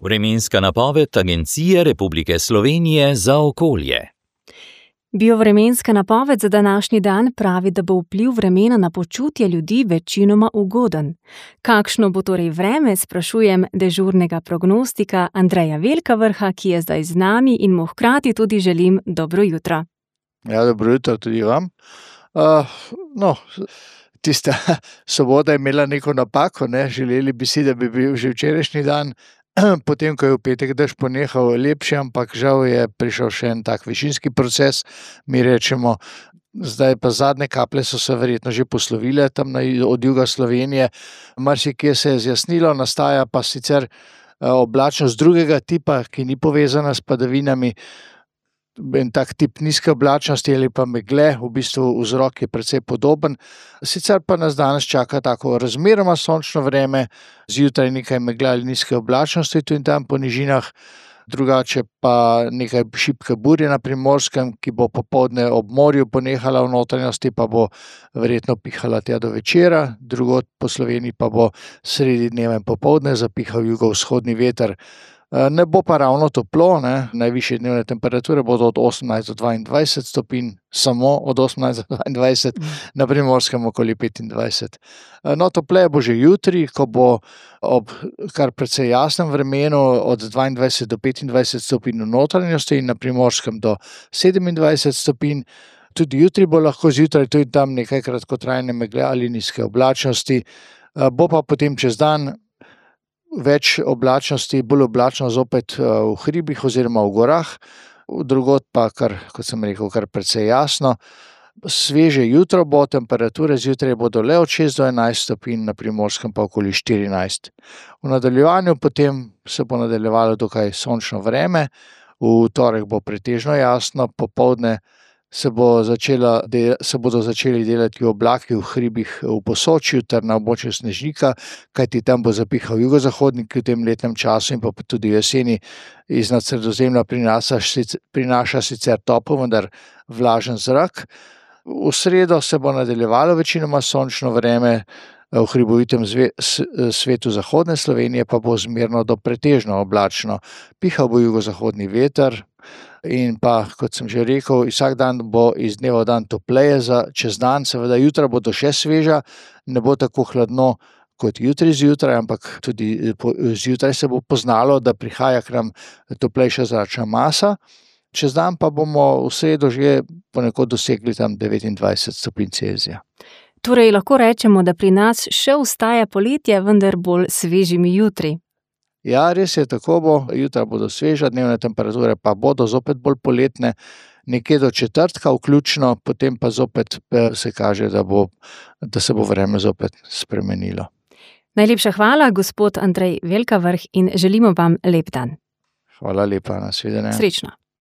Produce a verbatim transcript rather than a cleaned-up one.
Vremenska napoved Agencije Republike Slovenije za okolje. Biovremenska napoved za današnji dan pravi, da bo vpliv vremena na počutje ljudi večinoma ugoden. Kakšno bo torej vreme, sprašujem dežurnega prognostika Andreja Velkavrha, ki je zdaj z nami in mu hkrati tudi želim dobro jutro. Ja, dobro jutro tudi vam. Uh, no, tista sobota je imela neko napako, ne? Želeli bi si, da bi bil že včerajšnji dan, potem, ko je v petek dež ponehal, lepši, ampak žal je prišel še en tak višinski proces, mi rečemo. Zdaj pa zadnje kaplje so se verjetno že poslovile tam na, od juga Slovenije. Marsikje se je zjasnilo, nastaja pa sicer oblačnost drugega tipa, ki ni povezana s padavinami. En tak tip nizke oblačnosti ali pa megle, v bistvu vzrok je precej podoben. Sicer pa nas danes čaka tako razmeroma sončno vreme, zjutraj nekaj megle ali nizke oblačnosti tu in tam po nižinah, drugače pa nekaj šibke burje na Primorskem, ki bo popoldne ob morju ponehala, v notranjosti pa bo verjetno pihala tja do večera, drugod po Sloveniji pa bo sredi dneva in popoldne zapihal jugovzhodni veter. Ne bo pa ravno toplo, ne? Najvišje dnevne temperature bodo od osemnajst do dvaindvajset stopinj, samo od osemnajst do dvaindvajset, na Primorskem okoli petindvajset. No, topleje bo že jutri, ko bo ob kar precej jasnem vremenu od dvaindvajset do petindvajset stopinj v notranjosti in na Primorskem do sedemindvajset stopinj. Tudi jutri bo lahko zjutraj tu in tam nekaj kratkotrajne megle ali nizke oblačnosti, bo pa potem čez dan več oblačnosti, bolj oblačno zopet v hribih oziroma v gorah, drugod pa, kar, kot sem rekel, kar precej jasno. Sveže jutro bo, temperature zjutraj bodo le od šest do enajst stopinj, na Primorskem pa okoli štirinajst. V nadaljevanju potem se bo nadaljevalo dokaj sončno vreme, v torek bo pretežno jasno, popoldne se, bo začela, se bodo začeli delati oblaki v hribih v Posočju ter na območju Snežnika, kajti tam bo zapihal jugozahodnik v tem letnem času in pa tudi jeseni iznad Sredozemlja prinaša, prinaša sicer topel, vendar vlažen zrak. V sredo se bo nadaljevalo večinoma sončno vreme, v hribovitem svetu zahodne Slovenije pa bo zmerno do pretežno oblačno. Pihal bo jugozahodni veter in pa, kot sem že rekel, vsak dan bo iz dneva v dan topleje za čez dan, seveda jutra bodo še sveža, ne bo tako hladno kot jutri zjutraj, ampak tudi zjutraj se bo poznalo, da prihaja k nam toplejša zračna masa. Čez dan pa bomo v sredo že ponekod dosegli tam devetindvajset stopinj Celzija. Torej lahko rečemo, da pri nas še ostaja poletje, vendar bolj svežimi jutri. Ja, res je, tako bo. Jutra bodo sveža, dnevne temperature pa bodo zopet bolj poletne, nekje do četrtka vključno, potem pa zopet se kaže, da, bo, da se bo vreme zopet spremenilo. Najlepša hvala, gospod Andrej Velkavrh, in želimo vam lep dan. Hvala lepa, nasvidenje. Srečno.